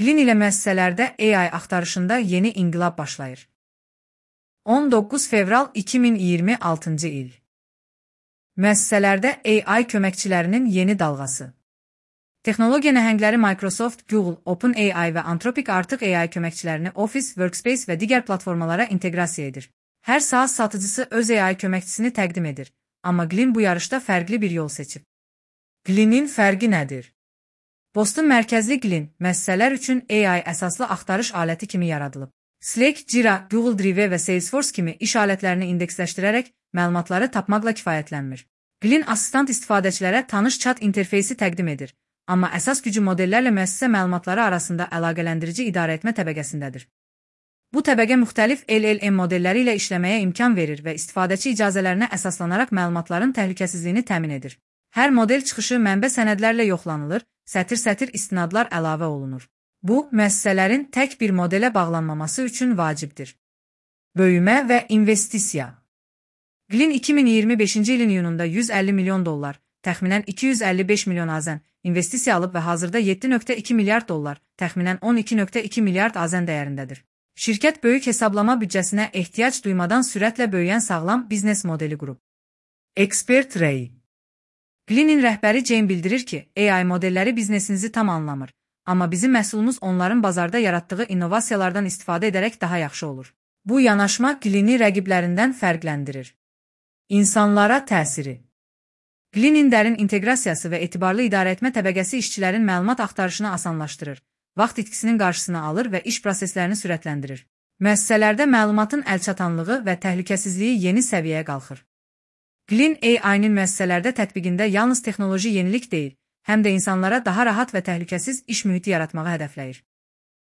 Glin ilə müəssisələrdə AI axtarışında yeni inqilab başlayır. 19 fevral 2026-cı il. Müəssisələrdə AI köməkçilərinin yeni dalğası. Texnologiya nəhəngləri Microsoft, Google, OpenAI və Anthropic artıq AI köməkçilərini Office, Workspace və digər platformalara inteqrasiya edir. Hər SaaS satıcısı öz AI köməkçisini təqdim edir, amma Glin bu yarışda fərqli bir yol seçib. Glinin fərqi nədir? Boston mərkəzli Glin, müəssisələr üçün AI əsaslı axtarış aləti kimi yaradılıb. Slack, Jira, Google Drive və Salesforce kimi iş alətlərini indeksləşdirərək məlumatları tapmaqla kifayətlənmir. Glin assistant istifadəçilərə tanış chat interfeysi təqdim edir, amma əsas gücü modellərlə müəssisə məlumatları arasında əlaqələndirici idarəetmə təbəqəsindədir. Bu təbəqə müxtəlif LLM modelləri ilə işləməyə imkan verir və istifadəçi icazələrinə əsaslanaraq məlumatların təhlükəsizliyini təmin edir. Hər model çıxışı mənbə sənədlərlə yoxlanılır, sətir-sətir istinadlar əlavə olunur. Bu, müəssisələrin tək bir modelə bağlanmaması üçün vacibdir. Böyümə və investisiya. Glin 2025-ci ilin iyununda $150 milyon, təxminən 255 milyon AZN investisiya alıb və hazırda $7.2 milyard, təxminən 12.2 milyard AZN dəyərindədir. Şirkət böyük hesablama büdcəsinə ehtiyac duymadan sürətlə böyüyən sağlam biznes modeli qurub. Expert Ray. Glinin rəhbəri Jane bildirir ki, AI modelləri biznesinizi tam anlamır, amma bizim məhsulumuz onların bazarda yaratdığı innovasiyalardan istifadə edərək daha yaxşı olur. Bu yanaşma Glini rəqiblərindən fərqləndirir. İnsanlara təsiri. Glinin dərin inteqrasiyası və etibarlı idarəetmə təbəqəsi işçilərin məlumat axtarışını asanlaşdırır, vaxt itkisinin qarşısını alır və iş proseslərini sürətləndirir. Müəssisələrdə məlumatın əlçatanlığı və təhlükəsizliyi yeni səviyyəyə qalxır. Glin AI-nin müəssisələrdə tətbiqində yalnız texnoloji yenilik deyil, həm də insanlara daha rahat və təhlükəsiz iş mühiti yaratmağı hədəfləyir.